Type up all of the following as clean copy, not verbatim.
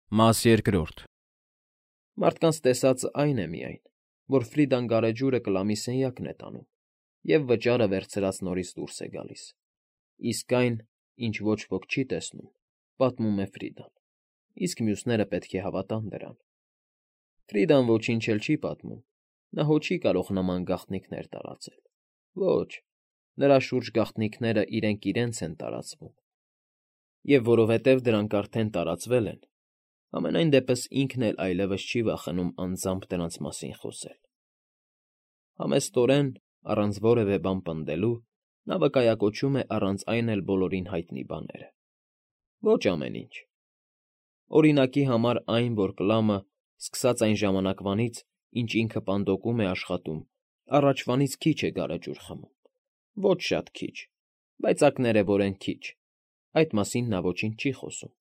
Մաս երկրորդ։ Մարդկանց տեսածը այն է միայն, որ Ֆրիդան գարեջուրը Կլամի սենյակն է տանում և վճարը վերցրած նորից դուրս է գալիս, իսկ այն, ինչ ոչ ոք չի տեսնում, պատմում է Ֆրիդան, իսկ մյուսները պետք է հավատան դրան։ Ֆրիդան ոչինչ էլ չի պատմում, նա հո չի կարող նման գաղտնիքներ տարածել։ Ոչ, նրա շուրջ գաղտնիքները իրենք իրենց են տարածվում, և որովհետև դրանք արդեն տարածվել են, համենայն դեպս ինքն էլ այլևս չի վախենում անձամբ դրանց մասին խոսել։ Համեստորեն, առանց որևէ բան պնդելու, նա վկայակոչում է առանց այն էլ բոլորին հայտնի բաները։ Ոչ ամեն ինչ։ Օրինակի համար այն, որ Կլամը, սկսած այն ժամանակվանից, ինչ ինքը պանդոկում է աշխատում, առաջվանից քիչ է գարեջուր խմում։ Ոչ շատ քիչ, բայց ակներևորեն քիչ, այդ մասին նա ոչինչ չի խոսում,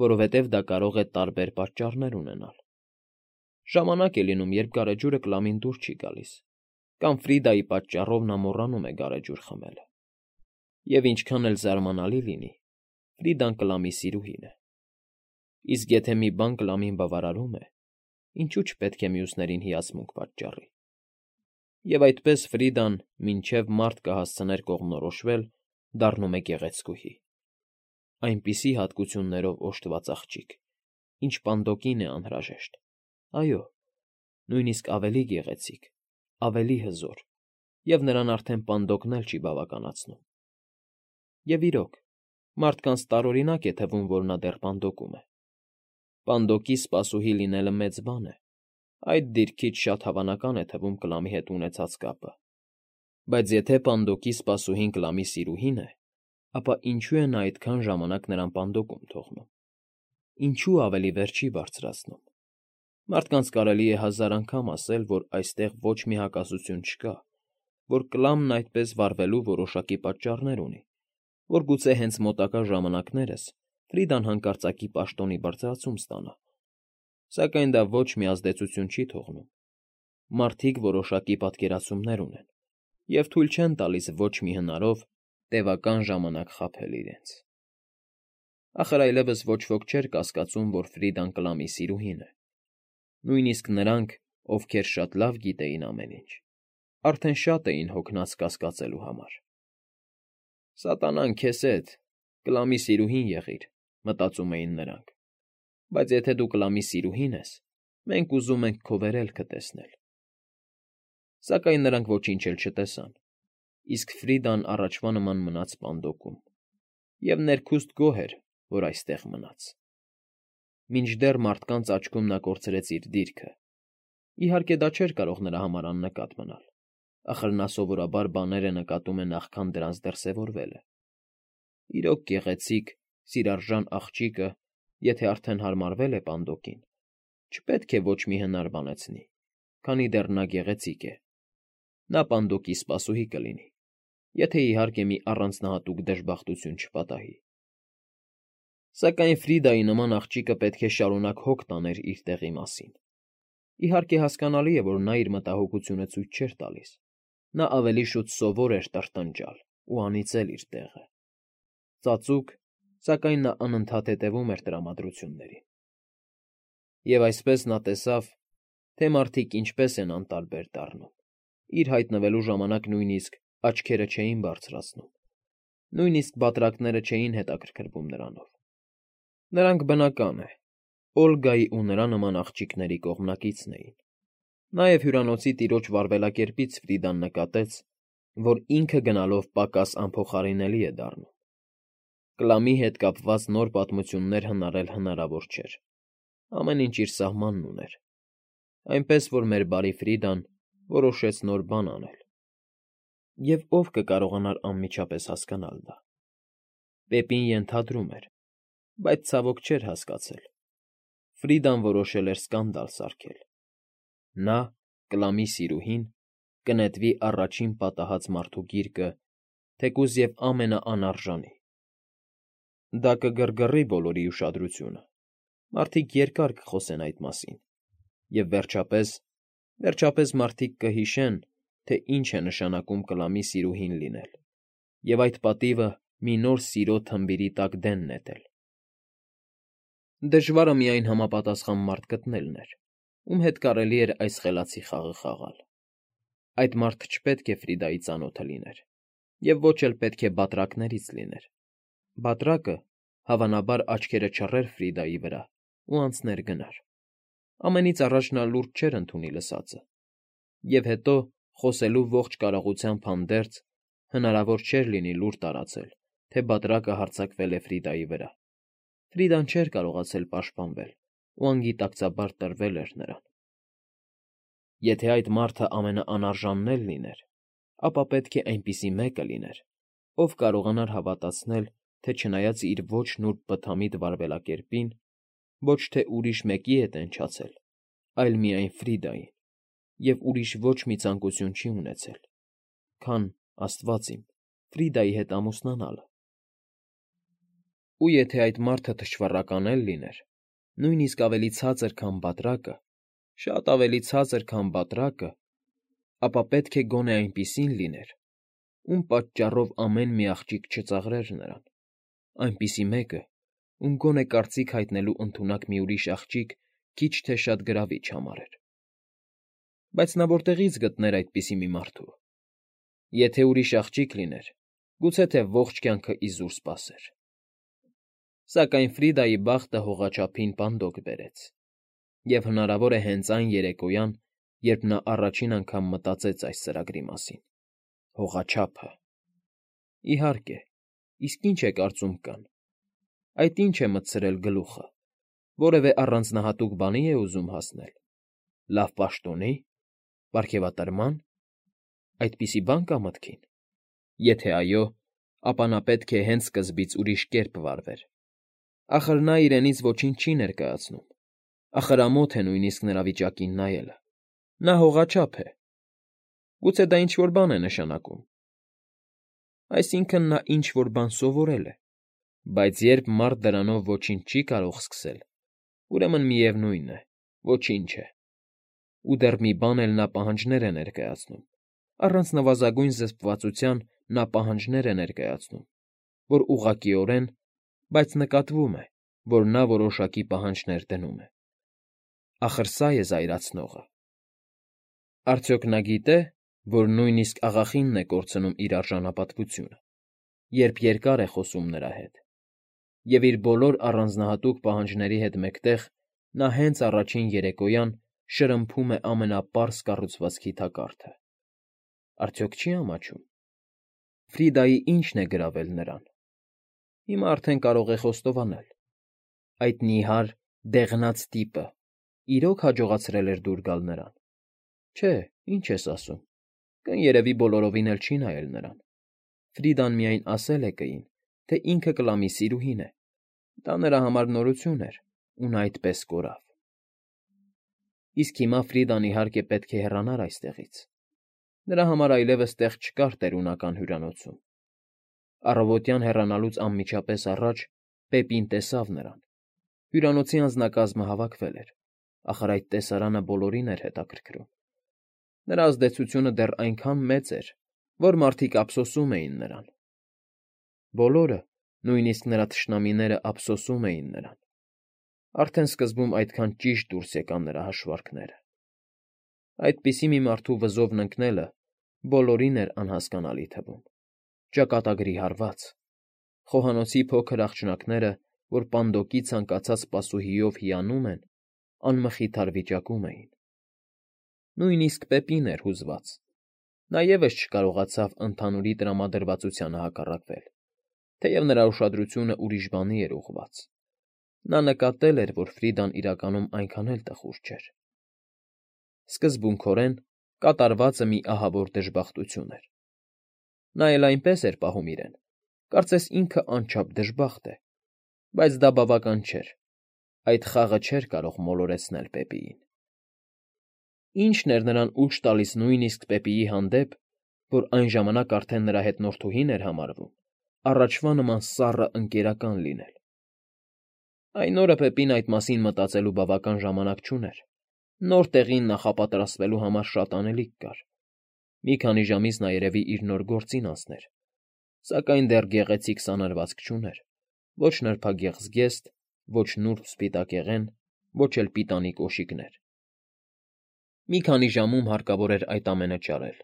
որովհետև դա կարող է տարբեր պատճառներ ունենալ։ Ժամանակ է լինում, երբ գարեջուրը Կլամին դուր չի գալիս, կամ Ֆրիդայի պատճառով նա մոռանում է գարեջուր խմելը։ Եվ ինչքան էլ զարմանալի լինի, Ֆրիդան Կլամի սիրուհին է։ Իսկ եթե մի բան Կլամին բավարարում է, ինչու՞ չպետք է մյուսներին հիացմունք պատճառի։ Եվ այդպես Ֆրիդան, մինչև մարդ կհասցներ կողմնորոշվել, դառնում է գեղեցկուհի։ Այնպիսի հատկություններով օժտված աղջիկ, ինչ պանդոկին է անհրաժեշտ, այո, նույնիսկ ավելի գեղեցիկ, ավելի հզոր, և նրան արդեն պանդոկն էլ չի բավականացնում։ Եվ իրոք, մարդկանց տարօրինակ է թվում, որ նա դեռ պանդոկում է։ Պանդոկի սպասուհի լինելը մեծ բան է, այդ դիրքից շատ հավանական է թվում Կլամի հետ ունեցած կապը։ Բայց եթե պանդոկի սպասուհին Կլամի սիրուհին է, ապա ինչու է նա այդքան ժամանակ նրան պանդոկում թողնում։ Ինչու ավելի վեր չի բարձրացնում։ Մարդկանց կարելի է հազար անգամ ասել, որ այստեղ ոչ մի հակասություն չկա, որ Կլամն այդպես վարվելու որոշակի պատճառներ ունի, որ գուցե հենց մոտակա ժամանակներս Ֆրիդան հանկարծակի պաշտոնի բարձրացում ստանա։ Սակայն դա ոչ մի ազդեցություն չի թողնում։ Մարդիկ որոշակի պատկերացումներ ունեն և թույլ չեն տալիս ոչ մի հնարով տևական ժամանակ խաբել իրենց։ Ախր այլևս ոչ ոք չէր կասկածում, որ Ֆրիդան Կլամի սիրուհին է։ Նույնիսկ նրանք, ովքեր շատ լավ գիտեին ամեն ինչ, արդեն շատ էին հոգնած կասկածելու համար։ «Սատանան քեզ հետ, Կլամի սիրուհին եղիր», մտածում էին նրանք, բայց եթե դու Կլամի սիրուհին ես, մենք ուզում ենք քո վերելքը տեսնել։ Սակայն նրանք ոչինչ էլ չտեսան, իսկ Ֆրիդան առաջվա նման մնաց պանդոկում, և ներքուստ գոհ էր, որ այստեղ մնաց։ Մինչդեռ մարդկանց աչքում նա կորցրեց իր դիրքը։ Իհարկե, դա չէր կարող նրա համար աննկատ մնալ, ախր նա սովորաբար բաները նկատում է նախքան դրանց դրսևորվելը։ Իրոք գեղեցիկ, սիրարժան աղջիկը, եթե արդեն հարմարվել է պանդոկին, չպետք է ոչ մի հնար բանեցնի, քանի դեռ նա գեղեցիկ է։ Նա պանդոկի սպասուհի կլինի, եթե իհարկե մի առանձնահատուկ դժբախտություն չպատահի։ Սակայն Ֆրիդայի նման աղջիկը պետք է շարունակ հոգ տաներ իր տեղի մասին։ Իհարկե հասկանալի է, որ նա իր մտահոգությունը ցույց չէր տալիս։ Նա ավելի շուտ սովոր էր տրտնջալ ու անիծել իր տեղը։ Ծածուկ, սակայն նա անընդհատ հետևում էր տրամադրություններին։ Եվ այսպես նա տեսավ, թե մարդիկ ինչպես են անտարբեր դառնում։ Իր հայտնվելու ժամանակ նույնիսկ աչքերը չէին բարձրացնում, նույնիսկ բատրակները չէին հետաքրքրվում նրանով։ Նրանք, բնական է, Օլգայի ու նրա նման աղջիկների կողմնակիցն էին։ Նաև հյուրանոցի տիրոջ վարվելակերպից Ֆրիդան նկատեց, որ ինքը գնալով պակաս անփոխարինելի է դառնում։ Կլամի հետ կապված նոր պատմություններ հնարել հնարավոր չէր։ Ամեն ինչ իր սահմանն ուներ։ Այնպես որ մեր բարի Ֆրիդան որոշեց նոր բան անել։ Եվ ով կկարողանար անմիջապես հասկանալ դա։ Պեպին ենթադրում էր, բայց ցավոք չէր հասկացել։ Ֆրիդան որոշել էր սկանդալ սարքել։ Նա, Կլամի սիրուհին, կնետվի առաջին պատահած մարդու գիրկը, թեկուզ և ամենաանարժանի։ Դա կգռգռի բոլորի ուշադրությունը, մարդիկ երկար կխոսեն այդ մասին, և վերջապես մարդիկ կհիշեն, թե ինչ է նշանակում Կլամի սիրուհին լինել, և այդ պատիվը մի նոր սիրո թմբիրի տակ դեն նետել։ Դժվարը միայն համապատասխան մարդ գտնելն էր, ում հետ կարելի էր այս խելացի խաղը խաղալ։ Այդ մարդը չպետք է Ֆրիդայի ծանոթը լիներ, և ոչ էլ պետք է բատրակներից լիներ։ Բատրակը, հավանաբար, աչքերը չռեր Ֆրիդայի վրա ու անցներ գնար։ Ամենից առաջ նա լուրջ չէր ընդունի լսածը, և հետո, խոսելու ողջ կարողությամբ հանդերձ, հնարավոր չէր լինի լուր տարածել, թե բատրակը հարձակվել է Ֆրիդայի վրա։ Ֆրիդան չէր կարողացել պաշտպանվել ու անգիտակցաբար տրվել էր նրան։ Եթե այդ մարդը ամենաանարժանն էլ լիներ, ապա պետք է այնպիսի մեկը լիներ, ով կարողանար հավատացնել, թե չնայած իր ոչ նուրբ բթամիտ վարվելակերպին, ոչ թե ուրիշ մեկի հետ է ընչացել, այլ միայն Ֆրիդային, և ուրիշ ոչ մի ցանկություն չի ունեցել, քան, աստված իմ, Ֆրիդայի հետ ամուսնանալը։ Ու եթե այդ մարդը թշվառական էլ լիներ, նույնիսկ ավելի ցածր, քան բատրակը, շատ ավելի ցածր, քան բատրակը, ապա պետք է գոնե այնպիսին լիներ, ում պատճառով ամեն մի աղջիկ չծաղրեր նրան, այնպիսի մեկը, ում գոնե կարծիք հայտնելու ընդունակ մի ուրիշ աղջիկ քիչ թե շատ գրավիչ համարեր։ Բայց նա որտեղի՞ց գտներ այդպիսի մի մարդու։ Եթե ուրիշ աղջիկ լիներ, գուցե թե ողջ կյանքը իզուր սպասեր։ Սակայն Ֆրիդայի բախտը հողաչափին պանդոկ բերեց, և հնարավոր է հենց այն երեկոյան, երբ նա առաջին անգամ մտածեց այս ծրագրի մասին։ Հողաչափը։ Իհարկե, իսկ ինչ է կարծում կան։ Այդ ինչ է մտցրել գլուխը։ Որևէ առանձնահատուկ բանի է ուզում հասնել։ Լավ պաշտոնի՞։ Պարգևատրման։ Այդպիսի բան կա մտքին։ Եթե այո, ապա նա պետք է հենց սկզբից ուրիշ կերպ վարվեր։ Ախր նա իրենից ոչինչ չի ներկայացնում։ Ախր ամոթ է նույնիսկ նրա վիճակին նայելը։ Նա հողաչափ է։ Գուցե դա ինչ֊որ բան է նշանակում։ Այսինքն՝ նա ինչ֊որ բան սովորել է։ Բայց երբ մարդ դրանով ոչինչ չի կարող սկսել, ուրեմն միևնույն է, ոչինչ է։ Ու դեռ մի բան էլ նա պահանջներ է ներկայացնում։ Առանց նվազագույն զսպվածության նա պահանջներ է ներկայացնում, որ ուղղակիորեն, բայց նկատվում է, որ նա որոշակի պահանջներ դնում է։ Ախր սա է զայրացնողը։ Արդյոք նա գիտե, որ նույնիսկ աղախինն է կորցնում իր արժանապատվությունը, երբ երկար է խոսում նրա հետ, և իր բոլոր առանձնահատուկ պահանջների հետ մեկտեղ նա հենց առաջին երեկոյան շրմփում է ամենապարզ կառուցվածքի թակարդը։ Արդյոք չի՞ ամաչում։ Ֆրիդայի ի՞նչն է գրավել նրան։ Հիմա արդեն կարող է խոստովանել։ Այդ նիհար, դեղնած տիպը իրոք հաջողացրել էր դուր գալ նրան։ Չէ, ինչ ես ասում, կներևի բոլորովին էլ չի նայել նրան։ Ֆրիդան միայն ասել է կին, թե ինքը կլամի սիրուհին է։ Դա նրա համար նորություն էր, ու նա այդպես կորավ։ Իսկ հիմա Ֆրիդան, իհարկե, պետք է հեռանար այստեղից։ Նրա համար այլևս տեղ չկար տերունական հյուրանոցում։ Առավոտյան հեռանալուց անմիջապես առաջ Պեպին տեսավ նրան։ Հյուրանոցի անձնակազմը հավաքվել էր, ախր այդ տեսարանը բոլորին էր հետաքրքրում։ Նրա ազդեցությունը դեռ այնքան մեծ էր, որ մարդիկ ափսոսում էին նրան։ Բոլորը, նույնիսկ նրա թշնամիները ափսոսում էին նրան։ Արդեն սկզբում այդքան ճիշտ դուրս եկան նրա հաշվարկները։ Այդպիսի մի մարդու վզովն ընկնելը բոլորին էր անհասկանալի թվում։ Ճակատագրի հարված։ Խոհանոցի փոքր աղջնակները, որ պանդոկի ցանկացած սպասուհիով հիանում են, անմխիթար վիճակում էին։ Նույնիսկ Պեպին էր հուզված։ Նա ևս չկարողացավ ընդհանուրի տրամադրվածությանը հակառակվել, թեև նրա ուշադրությունը ուրիշ բանի էր ուղղված։ Նա նկատել էր, որ Ֆրիդան իրականում այնքան էլ տխուր չէր։ Սկզբունքորեն կատարվածը մի ահավոր դժբախտություն էր։ Նա էլ այնպես էր պահում իրեն, կարծես ինքը անչափ դժբախտ է, բայց դա բավական չէր։ Այդ խաղը չէր կարող մոլորեցնել Պեպիին։ Ի՞նչն էր նրան ուժ տալիս նույնիսկ Պեպիի հանդեպ, որ այն ժամանակ արդեն նրա հետնորդուհին էր համարվում, առաջվա նման սառը ընկերական լինել։ Այն օրը Պեպին այդ մասին մտածելու բավական ժամանակ չուներ։ Նոր տեղին նախապատրաստվելու համար շատ անելիք կար։ Մի քանի ժամից նա երևի իր նոր գործին անցներ, սակայն դեռ գեղեցիկ սանրվածք չուներ, ոչ նրբագեղ զգեստ, ոչ նուրբ սպիտակեղեն, ոչ էլ պիտանի կոշիկներ։ Մի քանի ժամում հարկավոր էր այդ ամենը ճարել։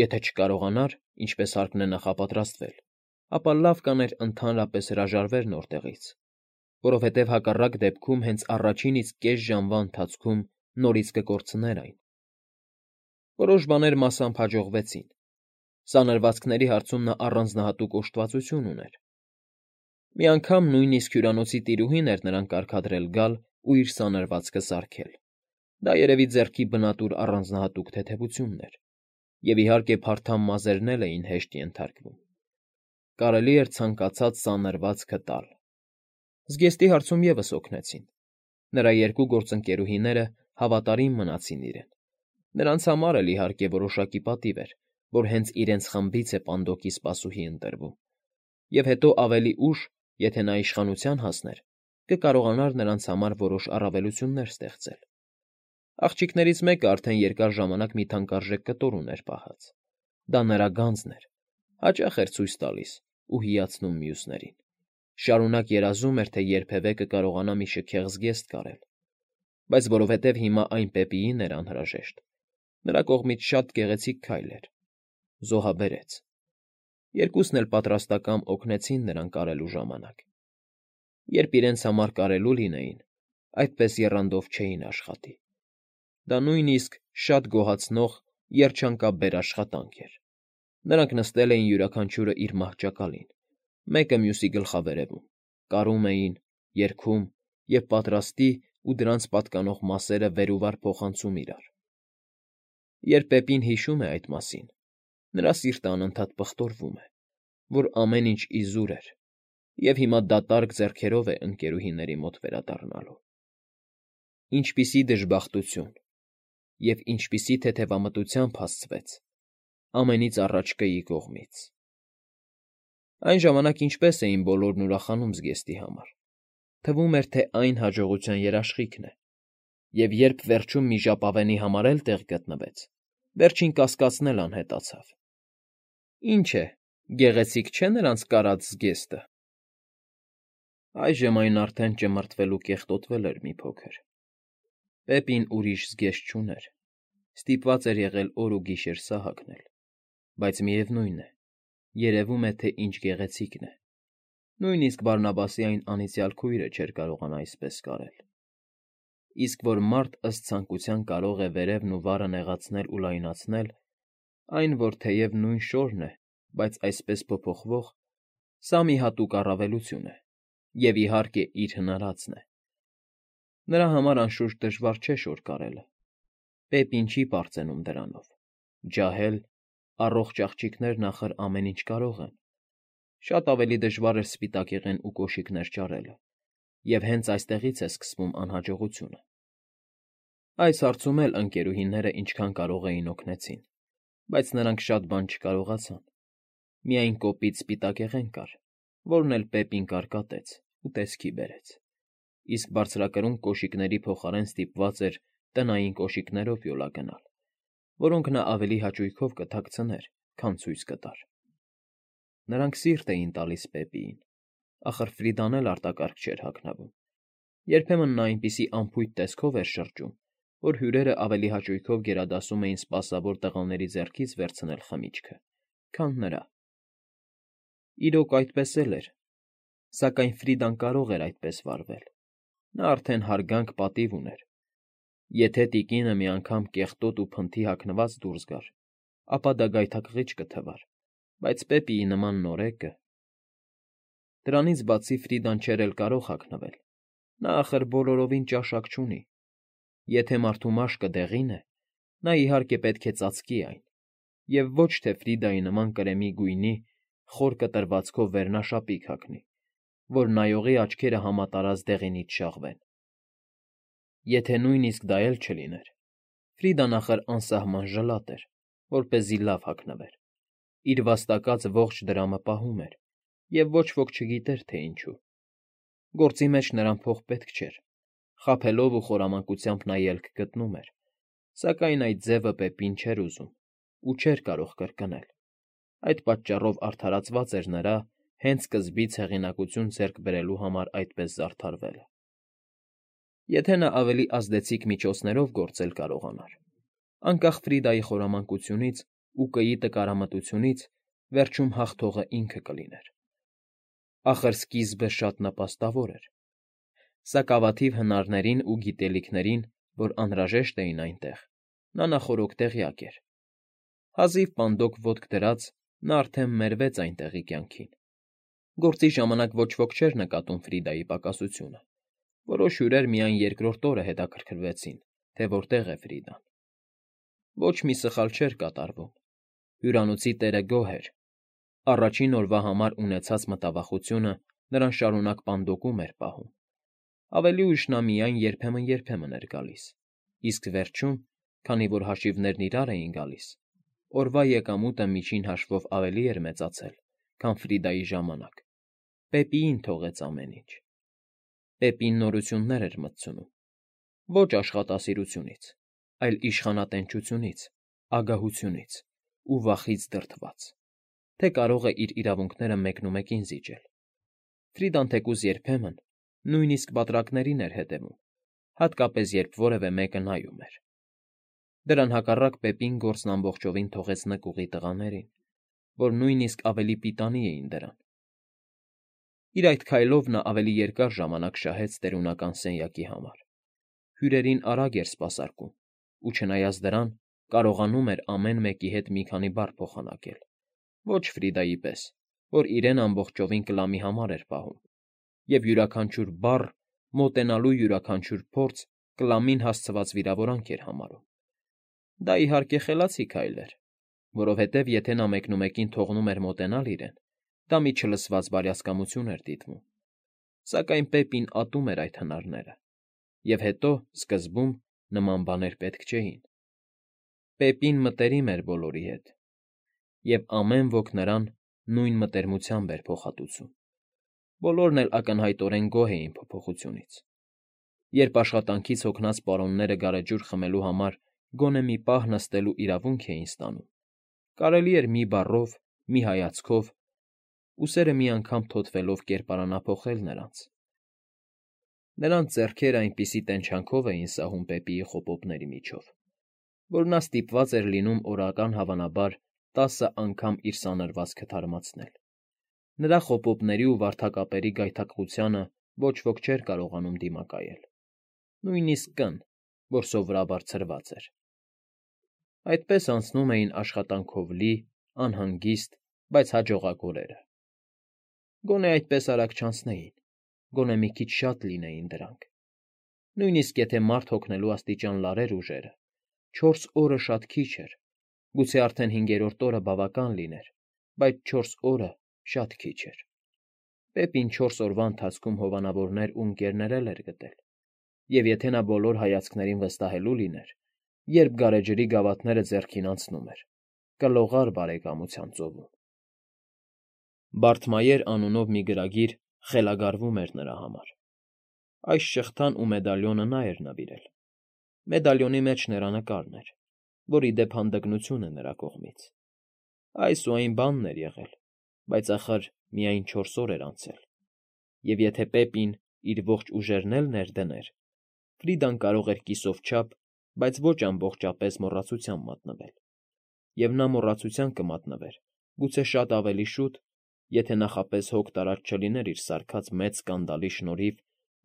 Եթե չկարողանար, ինչպես հարկն է նախապատրաստվել, ապա լավ կաներ ընդհանրապես հրաժարվեր նոր տեղից, որովհետև հակառակ դեպքում հենց առաջին իսկ կես ժամվա ընթացքում նորից կկորցներ այն։ Որոշ բաներ մասամբ հաջողվեցին։ Սանրվածքների հարցում նա առանձնահատուկ օժտվածություն ուներ։ Մի անգամ նույնիսկ հյուրանոցի տիրուհին էր նրան կարգադրել գալ ու իր սանրվածքը սարքել։ Դա երևի ձեռքի բնատուր առանձնահատուկ թեթևությունն էր, և իհարկե փարթամ մազերն էլ էին հեշտ ենթարկվում։ Կարելի էր ցանկացած սանրվածքը տալ։ Զգեստի հարցում ևս օգնեցին։ Նրա երկու գործընկերուհիները հավատարիմ մնացին իրեն։ Նրանց համար էլ իհարկե որոշակի պատիվ էր, որ հենց իրենց խմբից է պանդոկի սպասուհի ընտրվում, և հետո ավելի ուշ, եթե նա իշխանության հասներ, կկարողանար նրանց համար որոշ առավելություններ ստեղծել։ Աղջիկներից մեկը արդեն երկար ժամանակ մի թանկարժեք կտոր ուներ պահած։ Դա նրա գանձն էր, հաճախ էր ցույց տալիս ու հիացնում մյուսներին։ Շարունակ երազում էր, թե երբևէ կկարողանա մի շքեղ զգեստ կարել, բայց որովհետև հիմա այն Պեպիին էր անհրաժեշտ, նրա կողմից շատ գեղեցիկ քայլ էր։ Զոհաբերեց։ Երկուսն էլ պատրաստակամ օգնեցին նրան կարելու ժամանակ։ Երբ իրենց համար կարելու լինեին, այդպես եռանդով չէին աշխատի։ Դա նույնիսկ շատ գոհացնող, երջանկաբեր աշխատանք էր։ Նրանք նստել էին յուրաքանչյուրը իր մահճակալին, մեկը մյուսի գլխավերևում, կարում էին, երգում և պատրաստի ու դրանց պատկանող մասերը վեր ու վար փոխանցում իրար։ Երբ Պեպին հիշում է այդ մասին, նրա սիրտը անընդհատ պղտորվում է, որ ամեն ինչ իզուր էր, և հիմա դատարկ ձեռքերով է ընկերուհիների մոտ վերադառնալու։ Ինչպիսի դժբախտություն և ինչպիսի թեթևամտությամբ հասցվեց ամենից առաջ կգի կողմից։ Այն ժամանակ ինչպես էին բոլորն ուրախանում զգեստի համար։ Թվում էր, թե այն հաջողության երաշխիքն է, և երբ վերջում մի ժապավենի համար էլ տեղ գտնվեց, վերջին կասկածն էլ անհետացավ։ Ինչ է, գեղեցիկ չէ՞ նրանց կարած զգեստը։ Այժմ այն արդեն ճմրթվել ու կեղտոտվել էր մի փոքր։ Պեպին ուրիշ զգեստ չուներ, ստիպված էր եղել օր ու գիշեր սա հագնել, բայց միևնույն է, երևում է, թե ինչ գեղեցիկն է։ Նույնիսկ Բարնաբասի այն անիծյալ քույրը չէր կարողանա այսպես կարել։ Իսկ որ մարդ ըստ ցանկության կարող է վերևն ու վարը նեղացնել ու լայնացնել, այն, որ թեև նույն շորն է, բայց այսպես փոփոխվող, սա մի հատուկ առավելություն է, և, իհարկե, իր հնարածն է։ Նրա համար անշուշտ դժվար չէ շոր կարելը։ Պեպին չի պարծենում դրանով։ Ջահել, առողջ աղջիկներն ախր ամեն ինչ կարող են։ Շատ ավելի դժվար էր սպիտակեղեն ու կոշիկներ ճարելը, և հենց այստեղից է սկսվում անհաջողությունը։ Այս հարցում էլ ընկերուհիները ինչքան կարող էին օգնեցին, բայց նրանք շատ բան չկարողացան։ Միայն կոպիտ սպիտակեղեն կար, որն էլ Պեպին կարկատեց ու տեսքի բերեց, իսկ բարձրակրուն կոշիկների փոխարեն ստիպված էր տնային կոշիկներով յոլա գնալ, որոնք նա ավելի հաճույքով կթաքցներ, քան ցույց կտար։ Նրանք սիրտ էին տալիս Պեպիին, ախր Ֆրիդան էլ արտակարգ չէր հագնվում։ Երբեմն նա այնպիսի անփույթ տեսքով էր շրջում, որ հյուրերն ավելի հաճույքով գերադասում էին սպասավոր տղաների ձեռքից վերցնել խմիչքը, քան նրա։ Իրոք, այդպես էլ էր, սակայն Ֆրիդան կարող էր այդպես վարվել։ Նա արդեն հարգանք պատիվ ուներ։ Եթե տիկինը մի անգամ կեղտոտ ու փնթի հագնված դուրս գար, ապա դա գայթակղիչ կթվար, բայց Պեպիի նման նորեկը… Դրանից բացի Ֆրիդան չէր էլ կարող հագնվել։ Նա, ախր, բոլորովին ճաշակ չունի։ Եթե մարդու մաշկը դեղին է, նա, իհարկե, պետք է ծածկի այն, և ոչ թե Ֆրիդայի նման կրեմի գույնի, խոր կտրվածքով վերնաշապիկ հագնի, որ նայողի աչքերը համատարած դեղինից շաղվեն։ Եթե նույնիսկ դա էլ չլիներ, Ֆրիդան, ախր, անսահման ժլատ էր, որպեսզի լավ հագնվեր։ Իր վաստակած ողջ դրամը պահում էր, և ոչ ոք չգիտեր, թե ինչու։ Գործի մեջ նրան փող պետք չէր։ Խաբելով ու խորամանկությամբ նա ելք գտնում էր, սակայն այդ ձևը Պեպին չէր ուզում ու չէր կարող կրկնել։ Այդ պատճառով արդարացված էր նրա հենց սկզբից հեղինակություն ձեռք բերելու համար այդպես զարդարվելը։ Եթե նա ավելի ազդեցիկ միջոցներով գործել կարողանար, անկախ Ֆրիդայի խորամանկությունից ու կիի տկարամտությունից, վերջում հաղթողը ինքը կլիներ։ Ախր սկիզբը շատ նպաստավոր էր։ Սակայն կավաթիվ հնարներին ու գիտելիքներին, որ անհրաժեշտ էին այնտեղ, նա նախօրոք տեղյակ էր։ Հազիվ պանդոկ ոտք դրած, նա արդեն մերվեց այնտեղի կյանքին։ Գործի ժամանակ ոչ ոք չէր նկատում Ֆրիդայի պակասությունը։ Որոշ հյուրեր միայն երկրորդ օրը հետաքրքրվեցին, թե որտեղ է Ֆրիդան։ Ոչ մի սխալ չէր կատարվում։ Հյուրանոցի տերը գոհ էր։ Առաջին օրվա համար ունեցած մտավախությունը նրան շարունակ պանդոկում էր պահում։ Ավելի ուշ նա միայն երբեմն էր գալիս, իսկ վերջում, քանի որ հաշիվներն իրար էին գալիս, օրվա եկամուտը միջին հաշվով ավելի էր մեծացել, քան Ֆրիդայի ժամանակ։ Պեպիին թողեց ամեն ինչ։ Պեպին նորություններ էր մտցնում, ոչ աշխատասիրությունից, այլ իշխանատենչությունից, ագահությունից ու վախից դրդված, թե կարող է իր իրավունքները մեկնումեկին զիջել։ Ֆրիդան թեկուզ երբեմն նույնիսկ պատրակներին էր հետևում, հատկապես երբ որևէ մեկը նայում էր։ Դրան հակառակ Պեպին գործն ամբողջովին թողեց նկուղի տղաներին, որ նույնիսկ ավելի պիտանի էին դրան։ Իր այդ քայլով նա ավելի երկար ժամանակ շահեց տերունական սենյակի համար։ Հյուրերին արագ էր սպասարկում, ու չնայած դրան, կարողանում էր ամեն մեկի հետ մի քանի բառ փոխանակել, ոչ Ֆրիդայի պես, որ իրեն ամբողջովին կլամի համար էր պահում, և յուրաքանչյուր բառ, մոտենալու յուրաքանչյուր փորձ կլամին հասցված վիրավորանք էր համարում։ Դա, իհարկե, խելացի քայլ էր, որովհետև եթե նա մեկնումեկին թողնում էր մոտենալ իրեն, դա մի չլսված բարյացակամություն էր դիտվում։ Սակայն Պեպին ատում էր այդ հնարները, և հետո, սկզբում, նման բաներ պետք չէին։ Պեպին մտերիմ էր բոլորի հետ, և ամեն ոք նրան նույն մտերմությամբ էր փոխհատուցում։ Բոլորն էլ ակնհայտորեն գոհ էին փոփոխությունից։ Երբ աշխատանքից հոգնած պարոնները գարեջուր խմելու համար գոնե մի պահ նստելու իրավունք էին ստանում, կարելի էր մի բառով, մի հայացքով, ուսերը մի անգամ թոթվելով կերպարանափոխել նրանց։ Նրանց ձեռքերը այնպիսի տենչանքով էին սահում Պեպիի խոպոպների միջով, որ նա ստիպված էր լինում օրական հավանաբար 10 անգամ իր սանրվածքը թարմացնել։ Նրա խոպոպների ու վարդակապերի գայթակղությանը ոչ ոք չէր կարողանում դիմակայել, նույնիսկ կն, որ սովորաբար ցրված էր։ Այդպես անցնում էին աշխատանքով լի, անհանգիստ, բայց հաջողակ օրերը։ Գոնե այդպես արագ չանցնեին, գոնե մի քիչ շատ լինեին դրանք։ Նույնիսկ եթե մարդ հոգնելու աստիճան լարեր ուժերը, 4 օրը շատ քիչ էր, գուցե արդեն 5-րդ օրը բավական լիներ, բայց 4 օրը շատ քիչ էր։ Պեպին 4 օրվա ընթացքում հովանավորներ ու ընկերներ էր գտել, և եթե նա բոլոր հայացքներին վստահելու լիներ, երբ գարեջրի գավաթները ձեռքին անցնում էր, կլողար բարեկամության ծովում։ Բարթմայեր անունով մի գրագիր խելագարվում էր նրա համար։ Այս շղթան ու մեդալիոնը նա էր նվիրել։ Մեդալիոնի մեջ նրա նկարն էր, որ, ի դեպ, հանդգնություն է նրա կողմից։ Այս ու այն բանն էր եղել, բայց ախր միայն 4 օր էր անցել, և եթե Պեպին իր ողջ ուժերն էլ ներդներ, Ֆրիդան կարող էր կիսով չափ, բայց ոչ ամբողջապես մոռացության մատնվել։ Եվ նա մոռացության կմատնվեր, գուցե շատ ավելի շուտ, եթե նախապես հոգ տարած չլիներ իր սարքած մեծ սկանդալի շնորհիվ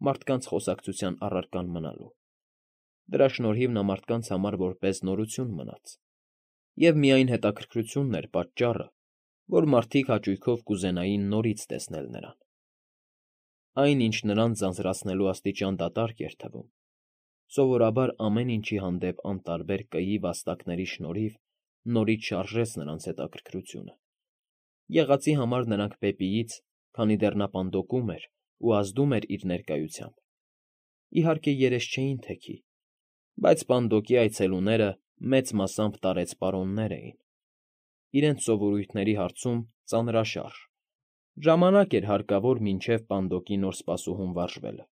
մարդկանց խոսակցության առարկան մնալու։ Դրա շնորհիվ նա մարդկանց համար որպես նորություն մնաց։ Եվ միայն հետաքրքրությունն էր պատճառը, որ մարդիկ հաճույքով կուզենային նորից տեսնել նրան։ Այն, ինչ նրանց ձանձրացնելու աստիճան դատարկ էր թվում, սովորաբար ամեն ինչի հանդեպ անտարբեր կիի վաստակների շնորհիվ նորից շարժեց նրանց հետաքրքրությունը։ Եղածի համար նրանք Պեպիից, քանի դեռ նա պանդոկում էր ու ազդում էր իր ներկայությամբ, իհարկե երես չէին թեքի, բայց պանդոկի այցելուները մեծ մասամբ տարեց պարոններ էին, իրենց սովորույթների հարցում ծանրաշարժ, ժամանակ էր հարկավոր մինչև պանդոկի նոր սպասուհուն վարժվելը։